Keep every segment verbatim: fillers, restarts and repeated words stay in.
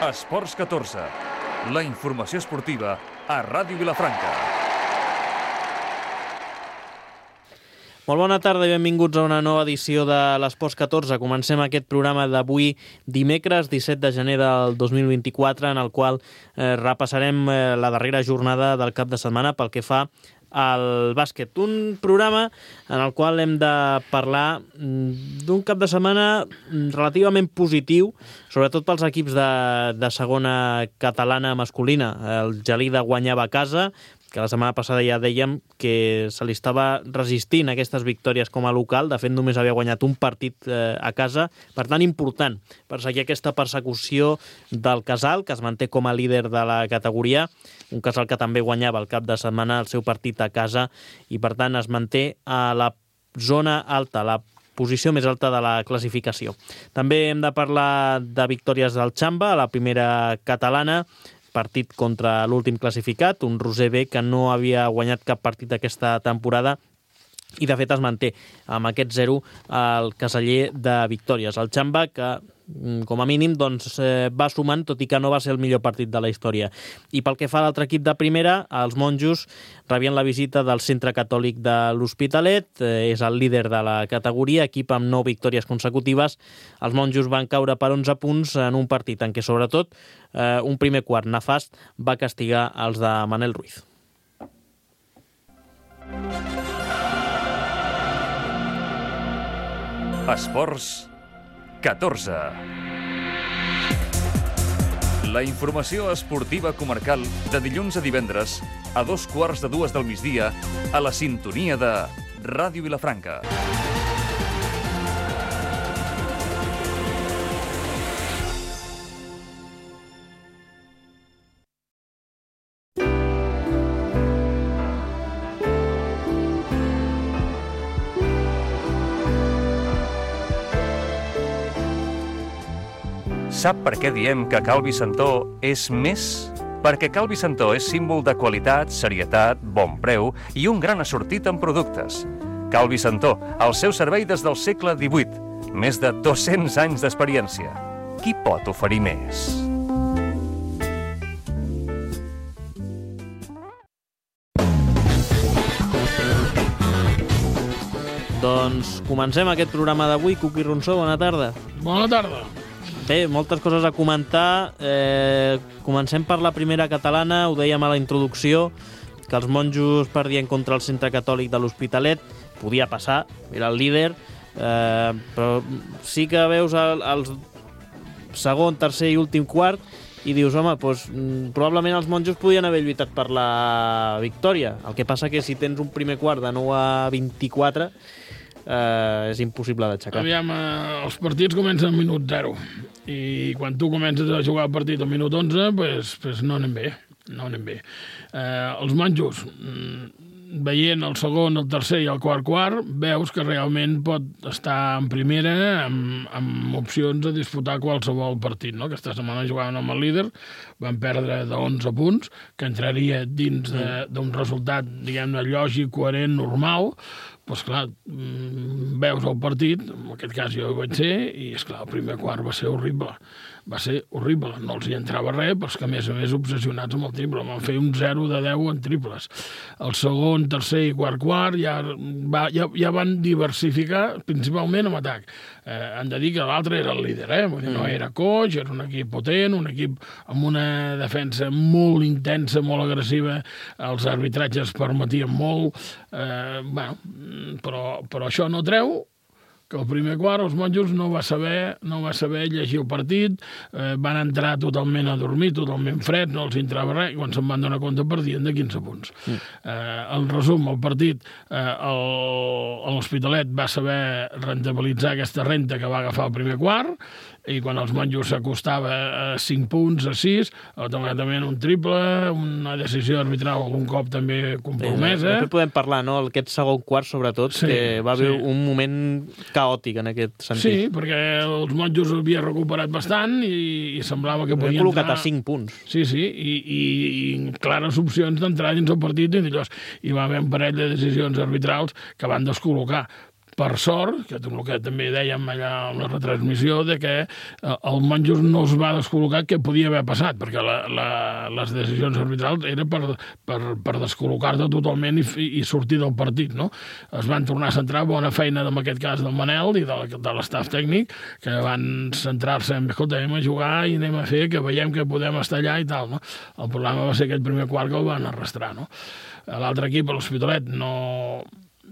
Esports catorze, la informació esportiva a Ràdio Vilafranca. Molt bona tarda i benvinguts a una nova edició de l'Esports catorze. Comencem aquest programa d'avui dimecres disset de gener del dos mil vint-i-quatre, en el qual eh, repassarem eh, la darrera jornada del cap de setmana pel que fa al bàsquet. Un programa en el qual hem de parlar d'un cap de setmana relativament positiu, sobretot pels equips de, de segona catalana masculina. El Gelida guanyava a casa, que la setmana passada ja dèiem que se li estava resistint a aquestes victòries com a local. De fet, només havia guanyat un partit eh, a casa. Per tant, important per seguir aquesta persecució del Casal, que es manté com a líder de la categoria. Un Casal que també guanyava el cap de setmana el seu partit a casa i, per tant, es manté a la zona alta, la posició més alta de la classificació. També hem de parlar de victòries del Xamba, a la primera catalana, partit contra l'últim classificat, un Roser B que no havia guanyat cap partit aquesta temporada i de fet es manté amb aquest zero el caseller de victòries. El Xamba que com a mínim doncs, eh, va sumant, tot i que no va ser el millor partit de la història. I pel que fa a l'altre equip de primera, els monjos rebien la visita del Centre Catòlic de l'Hospitalet, eh, és el líder de la categoria, equip amb nou victòries consecutives. Els monjos van caure per onze punts en un partit en què, sobretot, eh, un primer quart nefast va castigar els de Manel Ruiz. Esports catorze. La informació esportiva comarcal de dilluns a divendres a dos quarts de dues del migdia a la sintonia de Ràdio Vilafranca. Sap per què diem que Cal Vicentó és més? Perquè Cal Vicentó és símbol de qualitat, serietat, bon preu i un gran assortit en productes. Cal Vicentó, al seu servei des del segle divuit, més de dos-cents anys d'experiència. Qui pot oferir més? Doncs comencem aquest programa d'avui. Cuqui Ronsó, bona tarda. Bona tarda. Bé, moltes coses a comentar. Eh, comencem per la primera catalana. Ho dèiem a la introducció, que els monjos perdien contra el Centre Catòlic de l'Hospitalet. Podia passar, era el líder. Eh, però sí que veus el, el segon, tercer i últim quart i dius, home, doncs, probablement els monjos podien haver lluitat per la victòria. El que passa que si tens un primer quart de nou a vint-i-quatre, eh, és impossible d'aixecar. Aviam, eh, els partits comencen al minut zero i quan tu comences a jugar el partit al minut onze, pues, pues no anem bé, no anem bé. Eh, els monjos, veient el segon, el tercer i el quart quart, veus que realment pot estar en primera amb, amb opcions de disputar qualsevol partit, no? Aquesta setmana jugaven amb el líder, van perdre d'onze punts, que entraria dins d'un resultat, diguem-ne, lògic, coherent, normal. Doncs clar, veus el partit, en aquest cas jo hi vaig ser, i esclar, el primer quart va ser horrible. Va ser horrible, no els hi entrava res, però és que a més a més obsessionats amb el triple, van fer un zero de deu en triples. El segon, tercer i quart quart ja, va, ja, ja van diversificar principalment en atac. Eh, han de dir que l'altre era el líder, eh? Vull dir, no era coix, era un equip potent, un equip amb una defensa molt intensa, molt agressiva, els arbitratges permetien molt, eh, bueno, però, però això no treu que el primer quart els monjos no va saber, no va saber llegir el partit, eh, van entrar totalment a dormir, totalment freds, no els entrava res, i quan se'n van donar compte perdien de quinze punts. Mm. Eh, en resum, el partit, eh, l'Hospitalet va saber rentabilitzar aquesta renta que va agafar el primer quart, i quan els monjos s'acostava a cinc punts, a sis, automàticament un triple, una decisió arbitral algun cop també compromesa. Sí, podem parlar, no?, aquest segon quart, sobretot, sí, que va haver sí. un moment caòtic en aquest sentit. Sí, perquè els monjos havia recuperat bastant i, i semblava que podien col·locat entrar... a cinc punts. Sí, sí, i, i, i clares opcions d'entrar dins el partit i, i va haver un parell de decisions arbitrals que van descol·locar. per sort, que és el que també dèiem allà en la retransmissió, de que el Monjos no es va descol·locar, que podia haver passat, perquè la, la, les decisions arbitrals eren per, per, per descol·locar-te totalment i, i sortir del partit, no? Es van tornar a centrar, bona feina en aquest cas del Manel i de, de l'estaf tècnic, que van centrar-se en, escolta, anem a jugar i anem a fer, que veiem que podem estar allà i tal, no? El problema va ser aquest primer quart que el van arrastrar, no? L'altre equip, l'Hospitalet, no...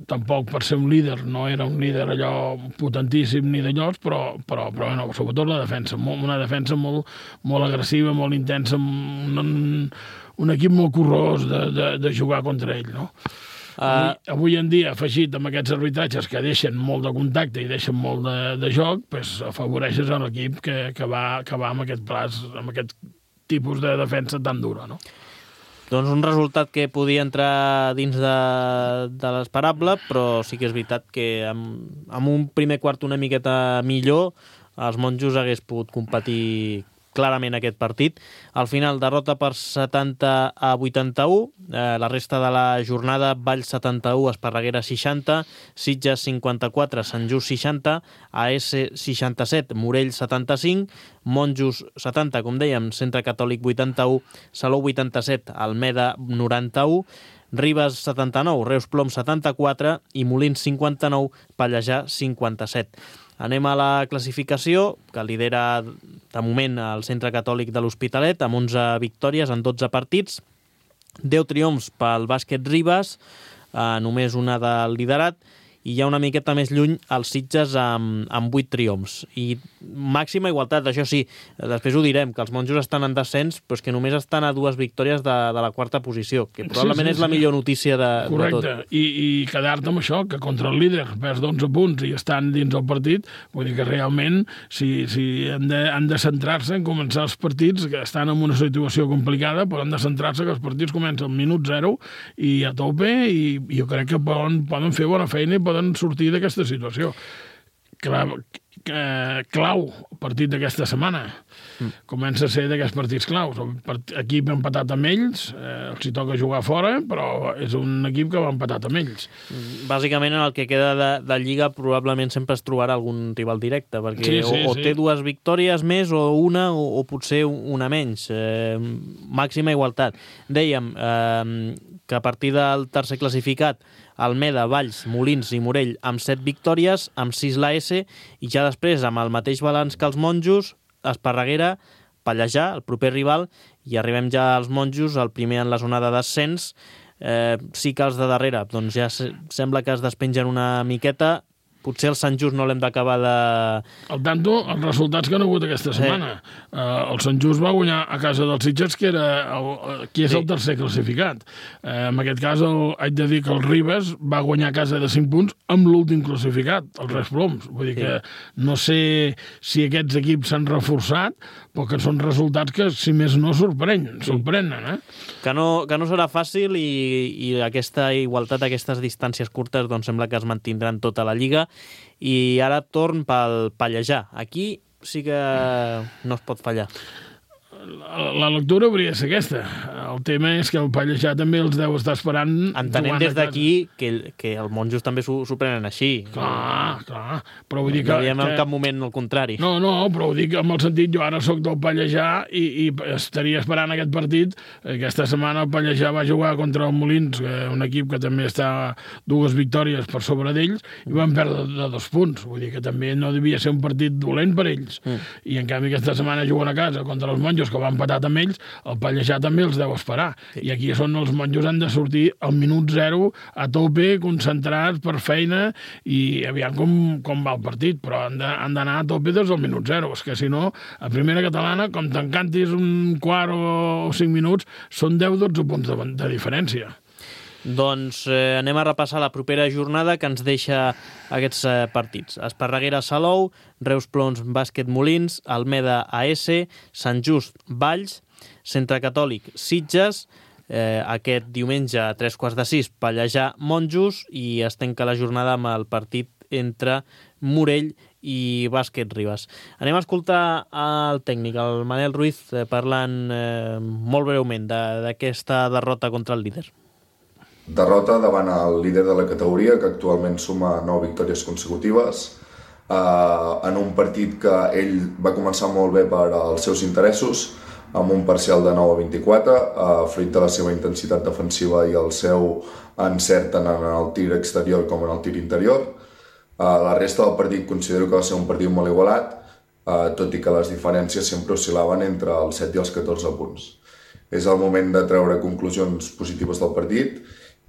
tampoc per ser un líder, no era un líder allò potentíssim ni d'allòs, però, però, però bueno, sobretot la defensa, molt, una defensa molt, molt agressiva, molt intensa, un, un equip molt corrós de, de, de jugar contra ell, no? Uh... Avui, avui en dia, afegit amb aquests arbitratges que deixen molt de contacte i deixen molt de, de joc, pues, afavoreixes a l'equip que, que, va, que va amb aquest plaç, amb aquest tipus de defensa tan dura, no? Doncs un resultat que podia entrar dins de, de l'esperable, però sí que és veritat que amb, amb un primer quart una miqueta millor, els Monjos hagués pogut competir clarament aquest partit. Al final, derrota per setanta a vuitanta-u. Eh, la resta de la jornada, Valls setanta-u, Esparreguera seixanta, Sitges cinquanta-quatre, Sant Just seixanta, A S seixanta-set, Morell setanta-cinc, Monjos setanta, com dèiem, Centre Catòlic vuitanta-u, Salou vuitanta-set, Almeda noranta-u, Ribes setanta-nou, Reus Plom setanta-quatre i Molins cinquanta-nou, Pallejà cinquanta-set. Anem a la classificació, que lidera de moment el Centre Catòlic de l'Hospitalet, amb onze victòries en dotze partits, deu triomfs pel Bàsquet Ribes, eh, només una del liderat, i hi ha una miqueta més lluny els Sitges amb, amb vuit triomfs. I màxima igualtat, això sí, després ho direm, que els Monjos estan en descens, però és que només estan a dues victòries de, de la quarta posició, que probablement sí, sí, és la sí. millor notícia de, Correcte. de tot. I, i quedar-te amb això, que contra el líder perds d'onze punts i estan dins el partit, vull dir que realment si, si han, de, han de centrar-se en començar els partits, que estan en una situació complicada, però han de centrar-se que els partits comencen al minut zero i a tope, i, i jo crec que poden, poden fer bona feina i poden sortir d'aquesta situació. Clau, clau partit d'aquesta setmana. Mm. Comença a ser d'aquests partits claus. Equip empatat amb ells, eh, els hi toca jugar fora, però és un equip que va empatat amb ells. Bàsicament, en el que queda de, de Lliga, probablement sempre es trobarà algun rival directe, perquè sí, sí, o, o sí. té dues victòries més, o una, o, o potser una menys. Eh, màxima igualtat. Dèiem eh, que a partir del tercer classificat, Almeda, Valls, Molins i Morell amb set victòries, amb sis l'A S, i ja després, amb el mateix balanç que els Monjos, Esparreguera, Pallejà, el proper rival, i arribem ja als Monjos, el primer en la zona de descens. Eh, sí que els de darrere, doncs ja se, sembla que es despengen una miqueta. Potser el Sant Just no l'hem d'acabar de... Al tanto, els resultats que han hagut aquesta setmana. Sí. Uh, el Sant Just va guanyar a casa dels Sitges, que era el, qui és sí. el tercer classificat. Uh, en aquest cas, el, haig de dir que el Ribes va guanyar a casa de cinc punts amb l'últim classificat, el Reus Ploms. Vull dir sí. que no sé si aquests equips s'han reforçat, però que són resultats que, si més no, sorprenen, sí. sorprenen, eh? Que no, que no serà fàcil, i, i aquesta igualtat, aquestes distàncies curtes, doncs sembla que es mantindran tota la Lliga. I ara torn pel Pallejà. Aquí sí que no es pot fallar. La, la lectura hauria de ser aquesta. El tema és que el Pallejà també els deu estar esperant... Entenem des d'aquí que, que el Monjos també s'ho prenen així. Clar, clar. Però vull dir que... No diem en que... cap moment el contrari. No, no, però ho dic amb el sentit, jo ara sóc del Pallejà i, i estaria esperant aquest partit. Aquesta setmana el Pallejà va jugar contra el Molins, un equip que també està dues victòries per sobre d'ells, i van perdre de dos punts. Vull dir que també no devia ser un partit dolent per ells. Mm. I en canvi aquesta setmana juguen a casa contra els Monjos, que va empatat amb ells, el Pallejà també els deu esperar. Sí. I aquí són els Monjos, han de sortir al minut zero, a tope, concentrats per feina, i aviam com, com va el partit, però han d'anar a tope des del minut zero. És que si no, a primera catalana, com t'encantis un quart o, o cinc minuts, són deu dotze punts de, de diferència. Doncs eh, anem a repassar la propera jornada que ens deixa aquests eh, partits. Esparreguera Salou, Reus Ploms Bàsquet Molins, Almeda A S, Sant Just Valls, Centre Catòlic Sitges, eh, aquest diumenge a tres quarts de sis Pallejà Monjos, i es tanca la jornada amb el partit entre Morell i Bàsquet Ribes. Anem a escoltar el tècnic, el Manel Ruiz, eh, parlant eh, molt breument d'aquesta derrota contra el líder. derrota davant el líder de la categoria, que actualment suma nou victòries consecutives, Uh, en un partit que ell va començar molt bé per als seus interessos, amb un parcial de nou a vint-i-quatre, uh, fruit de la seva intensitat defensiva i el seu encert tant en el tir exterior com en el tir interior. Uh, la resta del partit considero que va ser un partit molt igualat, uh, tot i que les diferències sempre oscil·laven entre els set i els catorze punts. És el moment de treure conclusions positives del partit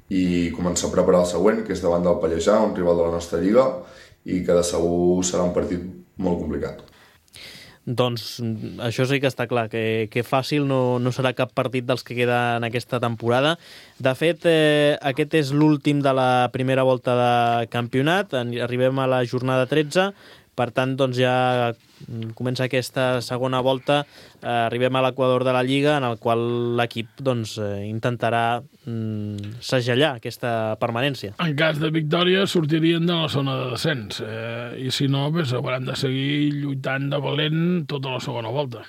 i començar a preparar el següent, que és davant del Pallejà, un rival de la nostra lliga, i que de segur serà un partit molt complicat. Doncs això sí que està clar, que, que fàcil no, no serà cap partit dels que queda en aquesta temporada. De fet, eh, aquest és l'últim de la primera volta de campionat, arribem a la jornada tretze, per tant, doncs ja comença aquesta segona volta, eh, arribem a l'equador de la Lliga, en el qual l'equip doncs, eh, intentarà mm, segellar aquesta permanència. En cas de victòria sortirien de la zona de descens, eh, i si no, pues, hauran de seguir lluitant de valent tota la segona volta.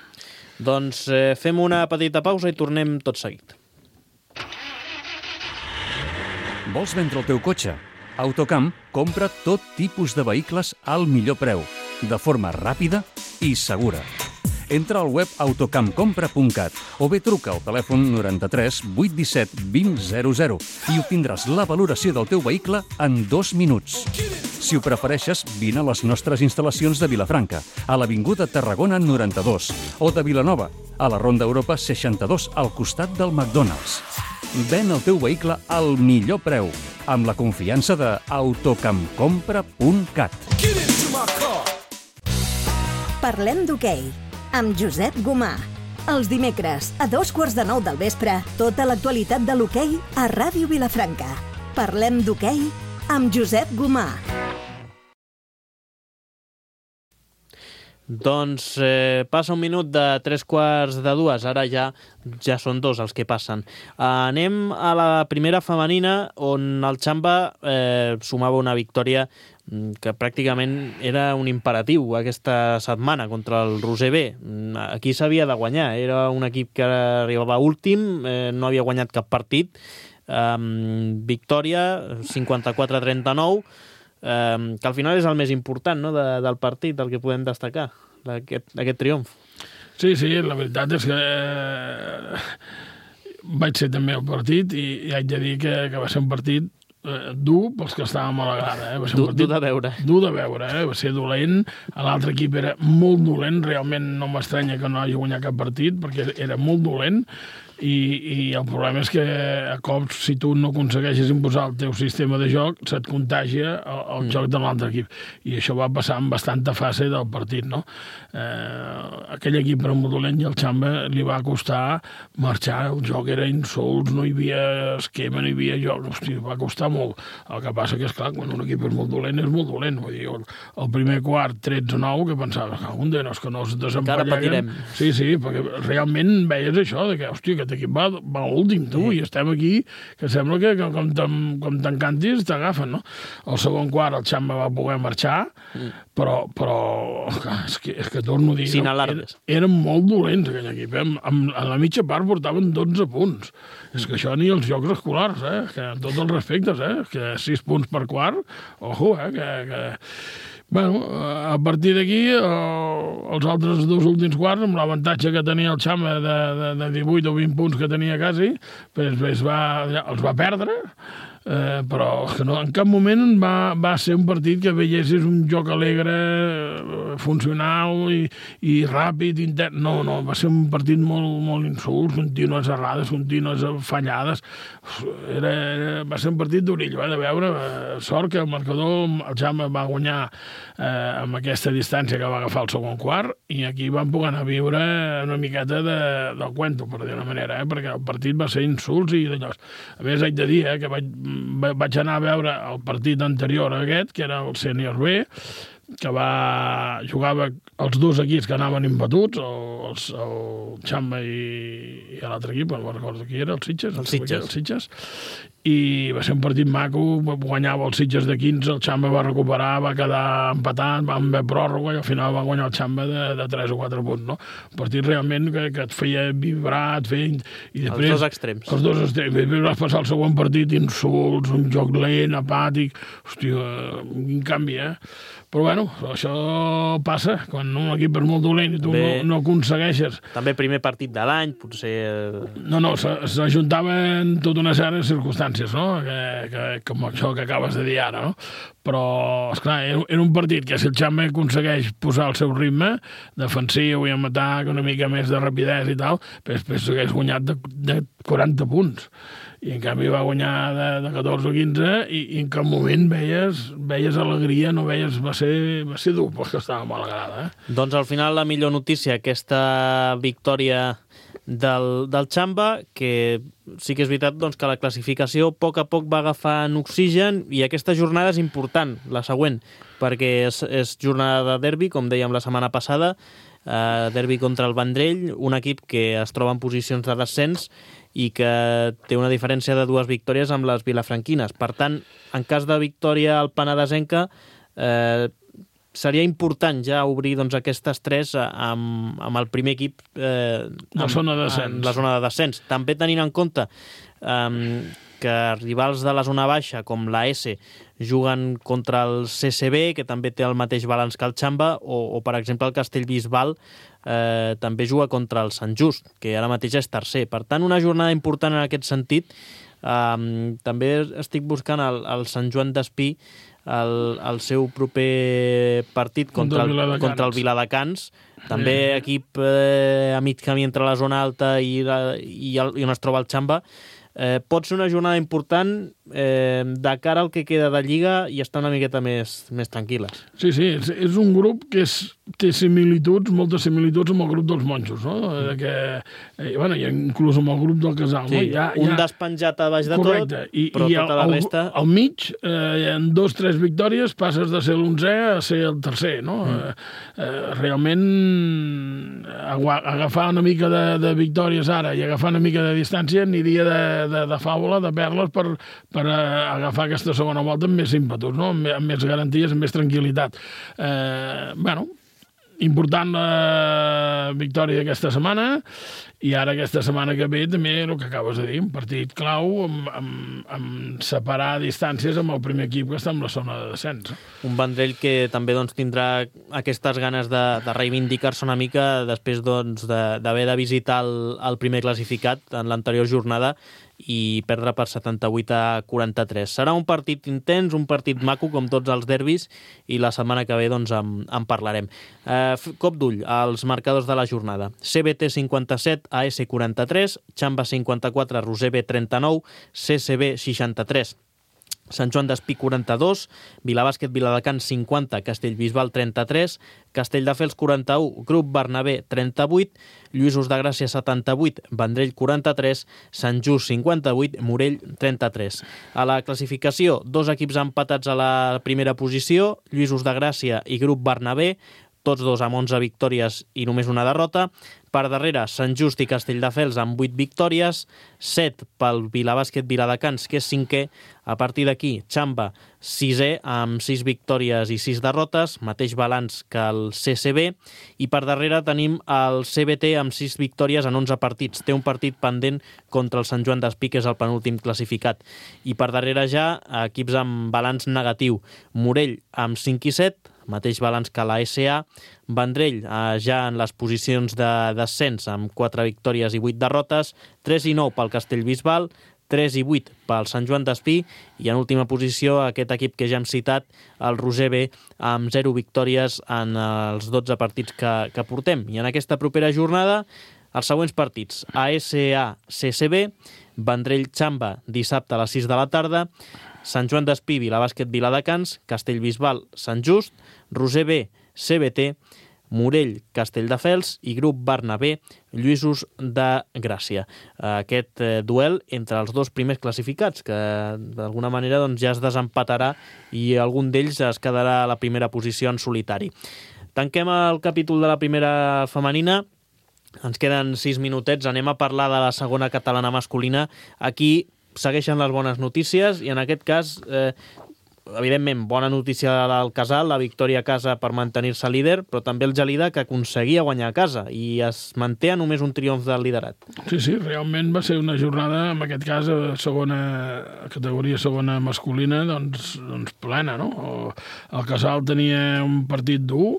Doncs eh, fem una petita pausa i tornem tot seguit. Vols vendre el teu cotxe? Autocamp compra tot tipus de vehicles al millor preu, de forma ràpida i segura. Entra al web autocamp compra punt cat o bé truca al telèfon noranta-tres vuit disset vint zero zero i obtindràs la valoració del teu vehicle en dos minuts. Si ho prefereixes, vine a les nostres instal·lacions de Vilafranca, a l'Avinguda Tarragona noranta-dos, o de Vilanova, a la Ronda Europa seixanta-dos, al costat del McDonald's. Ven el teu vehicle al millor preu, amb la confiança de autocamp compra punt cat. Parlem d'hoquei, amb Josep Gomà. Els dimecres, a dos quarts de nou del vespre, tota l'actualitat de l'hoquei a Ràdio Vilafranca. Parlem d'hoquei amb Josep Gomà. Doncs eh, passa un minut de tres quarts de dues, ara ja ja són dos els que passen. Eh, anem a la primera femenina, on el Xamba eh, sumava una victòria que pràcticament era un imperatiu aquesta setmana contra el Roser B. Aquí s'havia de guanyar, era un equip que arribava últim, eh, no havia guanyat cap partit. Eh, victòria, cinquanta-quatre a trenta-nou, Um, que al final és el més important, no?, de, del partit, el que podem destacar, aquest, aquest triomf. Sí, sí, la veritat és que eh, vaig ser també al partit i, i haig de dir que, que va ser un partit eh, dur pels que estàvem a la grada. Eh? Va ser un dur, partit dur de veure. Dur de veure, eh? Va ser dolent. L'altre equip era molt dolent, realment no m'estranya que no hagi guanyat cap partit, perquè era molt dolent. I, i el problema és que a cops, si tu no aconsegueixes imposar el teu sistema de joc, se't contagia el, el mm. joc de l'altre equip. I això va passar en bastanta fase del partit, no? Eh, aquell equip era molt dolent i el Xamba li va costar marxar, el joc era insults, no hi havia esquema, no hi havia joc, hosti, va costar molt. El que passa que, és clar, quan un equip és molt dolent, és molt dolent. Vull dir, el, el primer quart, tretze a nou, que pensava, un de no, és que no es desempalleguen. Sí, sí, perquè realment veies això, de que, hòstia, que equip va, va últim, tu, sí. I estem aquí, que sembla que, que com, com t'encantis t'agafen, no? El segon quart el Xamba va poder marxar, mm. però, però és que, és que torno a dir, Sin no, eren, eren molt dolents aquell equip, eh? Amb, a la mitja part portaven dotze punts. Mm. És que això ni els jocs escolars, eh? Que, amb tots els respectes, eh? Que sis punts per quart, ojo, eh? Que... que... Bueno, a partir d'aquí, els altres dos últims quarts, amb l'avantatge que tenia el Xamba de, de, de divuit o vint punts que tenia quasi, pues, va, els va perdre, eh, però que no, en cap moment va, va ser un partit que veiessis un joc alegre, funcional i, i ràpid, intern. No, no, va ser un partit molt, molt insults, contínues errades, contínues fallades. Era, era, va ser un partit d'orillo, eh, de veure. Sort que el marcador, el Xamba va guanyar eh, amb aquesta distància que va agafar el segon quart, i aquí van poder anar a viure una miqueta de, del cuento, per dir una manera, eh, perquè el partit va ser insults i d'allò. A més, haig de dir eh, que vaig, vaig anar a veure el partit anterior a aquest, que era el Sènior B, que va, jugava els dos equips que anaven imbatuts, el, el Xamba i, i l'altre equip, no recordo qui era, el Sitges. El Sitges. El Sitges. I va ser un partit maco, guanyava el Sitges de quinze, el Xamba va recuperar, va quedar empatat, va haver pròrroga i al final va guanyar el Xamba de, de tres o quatre punts, no? Un partit realment que, que et feia vibrar, et feia... I després, els dos extrems. Els dos extrems. Després vas passar el següent partit, insults, un joc lent, apàtic... Hòstia, quin canvi, eh? Però bueno, això passa quan un equip és molt dolent i tu també, no, no aconsegueixes. També primer partit de l'any, potser... No, no, s'ajuntaven tota una sèrie de circumstàncies, no? Que, que, com això que acabes de dir ara, no? Però, esclar, era un partit que si el Xamba aconsegueix posar el seu ritme defensiu i amb atac, una mica més de rapidesa i tal, després s'hagués guanyat de, de quaranta punts. I en canvi va guanyar de, de catorze o quinze i, i en cap moment veies, veies alegria, no veies... Va ser, va ser dur, perquè estava mal agrada. Eh? Doncs al final la millor notícia, aquesta victòria del, del Xamba, que sí que és veritat doncs, que la classificació a poc a poc va agafant oxigen i aquesta jornada és important, la següent, perquè és, és jornada de derbi, com dèiem la setmana passada, eh, derbi contra el Vendrell, un equip que es troba en posicions de descens i que té una diferència de dues victòries amb les vilafranquines. Per tant, en cas de victòria al Penedesenca, eh, seria important ja obrir doncs, aquestes tres amb, amb el primer equip eh, la zona de descens. En la zona de descens. També tenint en compte eh, que rivals de la zona baixa, com la S, juguen contra el C C B, que també té el mateix balanç que el Xamba, o, o per exemple, el Castellbisbal eh, també juga contra el Sant Just, que ara mateix és tercer. Per tant, una jornada important en aquest sentit. Eh, també estic buscant el, el Sant Joan d'Espí, el, el seu proper partit contra el, contra el Viladecans, també sí. Equip eh, a mig camí entre la zona alta i, la, i, el, i on es troba el Xamba. Eh, pot ser una jornada important eh, de cara al que queda de Lliga i estar una miqueta més, més tranquil·les. Sí, sí, és, és un grup que és, té similituds, moltes similituds amb el grup dels monjos, no? Mm. Que, eh, bueno, i inclús amb el grup del Casal. Sí, no? Hi ha, hi ha... un despenjat a baix de Correcte. tot, I, però i tota la al, resta... Al mig, eh, en dos o tres victòries, passes de ser l'onzè a ser el tercer, no? Mm. Eh, eh, realment, agafar una mica de, de victòries ara i agafar una mica de distància aniria de De, de fàbula, de perles, per, per uh, agafar aquesta segona volta amb més ímpetus, no? amb, amb més garanties, amb més tranquil·litat. Eh, bueno, important la victòria d'aquesta setmana i ara aquesta setmana que ve també el que acabes de dir, un partit clau amb, amb, amb separar distàncies amb el primer equip que està en la zona de descens. Un Vendrell que també doncs, tindrà aquestes ganes de, de reivindicar-se una mica després doncs, d'haver de, de visitar el, el primer classificat en l'anterior jornada i perdre per setanta-vuit a quaranta-tres. Serà un partit intens, un partit maco, com tots els derbis, i la setmana que ve doncs, en, en parlarem. Eh, cop d'ull als marcadors de la jornada. C B T cinquanta-set, A S quaranta-tres, Xamba cinquanta-quatre, Roser B trenta-nou, C C B seixanta-tres. Sant Joan d'Espí quaranta-dos, Vilabàsquet Viladecans cinquanta, Castellbisbal trenta-tres, Castelldefels quaranta-u, Grup Bernabé trenta-vuit, Lluïsos de Gràcia setanta-vuit, Vendrell quaranta-tres, Sant Just cinquanta-vuit, Morell trenta-tres. A la classificació, dos equips empatats a la primera posició, Lluïsos de Gràcia i Grup Bernabé, tots dos amb onze victòries i només una derrota. Per darrere, Sant Just i Castelldefels amb vuit victòries, set pel Vilabàsquet Viladecans, que és cinquè. A partir d'aquí, Xamba, sisè, amb sis victòries i sis derrotes, mateix balanç que el C C B, i per darrere tenim el C B T amb sis victòries en onze partits. Té un partit pendent contra el Sant Joan d'Espí, que és el penúltim classificat. I per darrere ja, equips amb balanç negatiu. Morell amb cinc i set, mateix balanç que la S A, Vendrell eh, ja en les posicions de descens amb quatre victòries i vuit derrotes, tres i nou pel Castellbisbal, tres i vuit pel Sant Joan d'Espí i en última posició aquest equip que ja hem citat, el Roser B, amb zero victòries en els dotze partits que, que portem. I en aquesta propera jornada, els següents partits: A S A C C B, Vendrell Xamba dissabte a les sis de la tarda, Sant Joan d'Espí, Vilabàsquet Viladecans, Castellbisbal Sant Just, Roser B, C B T, Morell, Castelldefels i grup Bernabé, Lluïsos de Gràcia. Aquest eh, duel entre els dos primers classificats, que d'alguna manera doncs, ja es desempatarà i algun d'ells es quedarà a la primera posició en solitari. Tanquem el capítol de la primera femenina. Ens queden sis minutets, anem a parlar de la segona catalana masculina. Aquí segueixen les bones notícies i en aquest cas, eh, evidentment, bona notícia del Casal, la victòria a casa per mantenir-se líder, però també el Gelida, que aconseguia guanyar a casa i es manté a només un triomf del liderat. Sí, sí, realment va ser una jornada, en aquest cas, a segona categoria segona masculina, doncs, doncs plena, no? El Casal tenia un partit dur,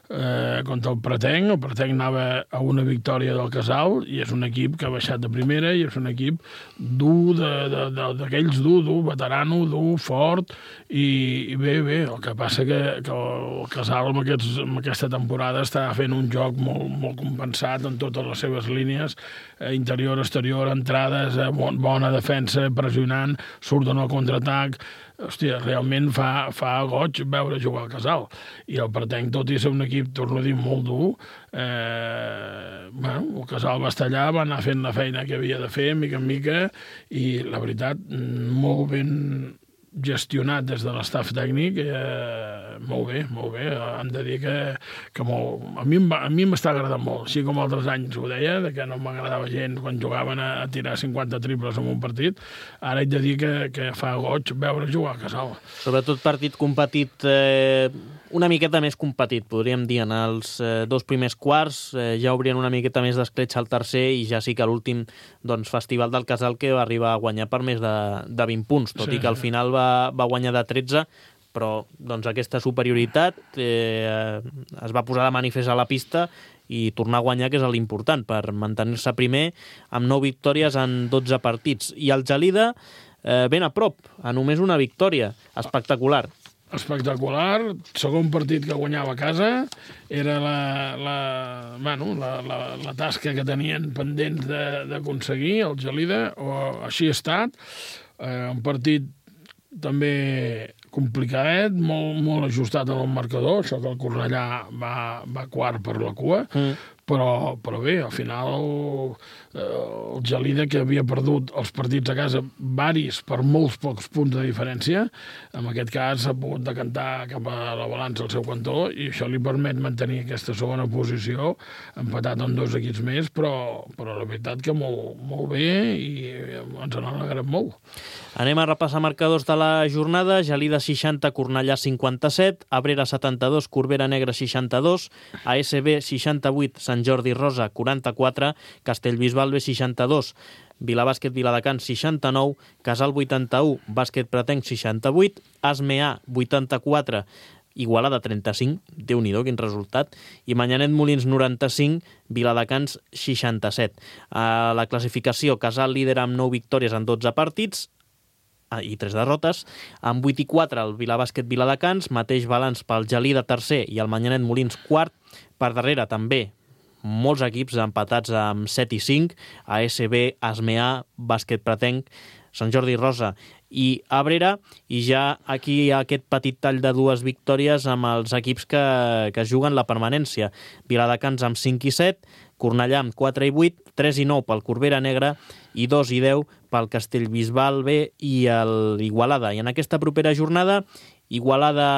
Eh, contra el Pretenc. El Pretenc anava a una victòria del Casal i és un equip que ha baixat de primera i és un equip dur, d'aquells dur, dur, veterano, dur, fort i, i bé, bé, el que passa que, que el Casal amb, aquests, amb aquesta temporada està fent un joc molt, molt compensat en totes les seves línies, eh, interior, exterior, entrades, eh, bon, bona defensa, pressionant, surten al contraatac. Hòstia, realment fa, fa goig veure jugar al Casal. I el Pretenc, tot i ser un equip, torno a dir, molt dur, eh, bueno, el Casal va estar allà, va anar fent la feina que havia de fer, mica en mica, i la veritat, molt ben gestionat des de l'estaf tècnic, eh, molt bé, molt bé. Han de dir que, que molt, a mi a mi m'està agradant molt, així com altres anys ho deia, de que no m'agradava gens quan jugaven a, a tirar cinquanta triples en un partit. Ara haig de dir que, que fa goig veure jugar a Casal. Sobretot partit competit, eh, una miqueta més competit, podríem dir. En els eh, dos primers quarts eh, ja obrien una miqueta més d'escletxa al tercer i ja sí que l'últim doncs, festival del Casal que va arribar a guanyar per més de, de vint punts, tot sí. I que al final va va guanyar de tretze, però doncs, aquesta superioritat eh, es va posar de manifest a la pista i tornar a guanyar, que és l'important, per mantenir-se primer amb nou victòries en dotze partits. I el Gelida eh, ben a prop, a només una victòria. Espectacular. Espectacular, segon partit que guanyava a casa, era la, la, bueno, la, la, la tasca que tenien pendents d'aconseguir el Gelida, o així ha estat, eh, un partit també complicadet, molt, molt ajustat en el marcador, això que el Cornellà va, va quart per la cua, mm. però, però bé, al final eh, el Gelida, que havia perdut els partits a casa varis per molts pocs punts de diferència, en aquest cas s'ha pogut decantar cap a la balança al seu cantó i això li permet mantenir aquesta segona posició, empatat amb dos equips més, però, però la veritat que molt, molt bé i ens en alegrem molt. Anem a repassar marcadors de la jornada. Gelida seixanta, Cornellà cinquanta-set, Abrera setanta-dos, Corbera Negra seixanta-dos, A S B seixanta-vuit, Sant Jordi Rosa quaranta-quatre, Castellbisbal B seixanta-dos, Vilabàsquet Viladecans seixanta-nou, Casal vuitanta-u, Bàsquet Pretenc seixanta-vuit, Asmeà vuitanta-quatre, Igualada trenta-cinc, Déu-n'hi-do, quin resultat, i Manyanet Molins noranta-cinc, Viladecans seixanta-set. A la classificació, Casal líder amb nou victòries en dotze partits, i tres derrotes, amb vuit i quatre el Vilabàsquet Viladecans, mateix balanç pel Gelida tercer i el Manyanet Molins quart, per darrere també molts equips empatats amb set i cinc, A S B, Asmeà, Bàsquet Pretenc, Sant Jordi Rosa i Abrera, i ja aquí hi ha aquest petit tall de dues victòries amb els equips que, que juguen la permanència. Viladecans amb cinc i set, Cornellà amb quatre i vuit, tres i nou pel Corbera Negra i dos i deu pel Castellbisbal B i l'Igualada. I en aquesta propera jornada, Igualada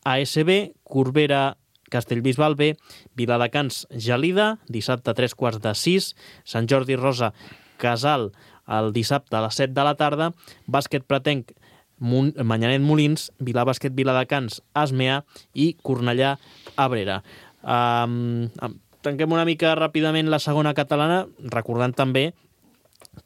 A S B, Corbera Castellbisbal B, Viladecans Gelida, dissabte a tres quarts de sis, Sant Jordi Rosa Casal el dissabte a les set de la tarda, Bàsquet Pretenc Manyanet Molins, Vilabàsquet Viladecans Asmeà i Cornellà Abrera. Um, tanquem una mica ràpidament la segona catalana, recordant també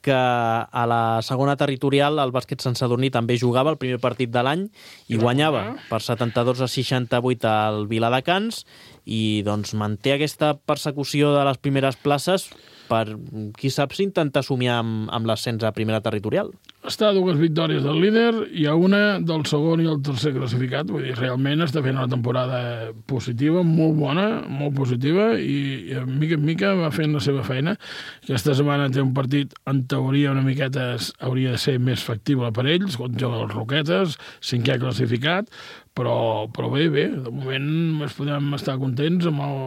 que a la segona territorial el bàsquet Sant Sadurní també jugava el primer partit de l'any i guanyava per setanta-dos a seixanta-vuit al Viladecans i doncs manté aquesta persecució de les primeres places per, qui sap, si intentar somiar amb, amb l'ascens a primera territorial. està a dues victòries del líder i a una del segon i el tercer classificat. Vull dir, realment està fent una temporada positiva, molt bona, molt positiva, i, i mica en mica va fent la seva feina. Aquesta setmana té un partit, en teoria, una miqueta hauria de ser més factible per ells, quan juguen els Roquetes, cinquè classificat, però, però bé, bé, de moment ens podem estar contents amb el,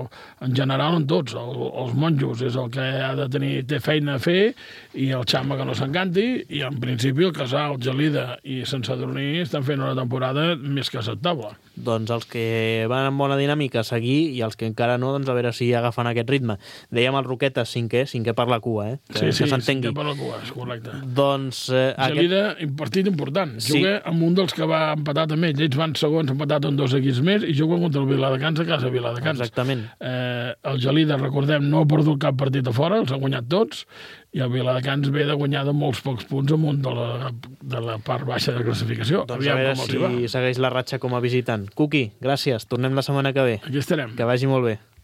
en general amb tots. El, els monjos és el que ha de tenir, té feina a fer, i el Xama que no s'encanti, i en principi el Casal, Gelida i Sant Sadurní estan fent una temporada més que acceptable. Doncs els que van amb bona dinàmica a seguir, i els que encara no, doncs a veure si agafen aquest ritme. Dèiem el Roquetes cinquè, cinquè per la cua, eh? Que, sí, sí, que s'entengui. cinquè per la cua, és correcte. Doncs... Eh, Gelida, aquest... un partit important. Sí. Juga amb un dels que va empatar també. Ells van segons, empatat amb dos equips més, i juguen contra el Viladecans a casa Viladecans. Exactament. Eh, el Gelida, recordem, no ha perdut cap partit a fora, els ha guanyat tots, i el Viladecans ve de guanyar de molts pocs punts amunt de la, de la part baixa de classificació. Doncs Aviam a veure com els hi va. si segueix la ratxa com a visitant. Cuqui, gràcies. Tornem la setmana que ve. Aquí estarem. Que vagi molt bé.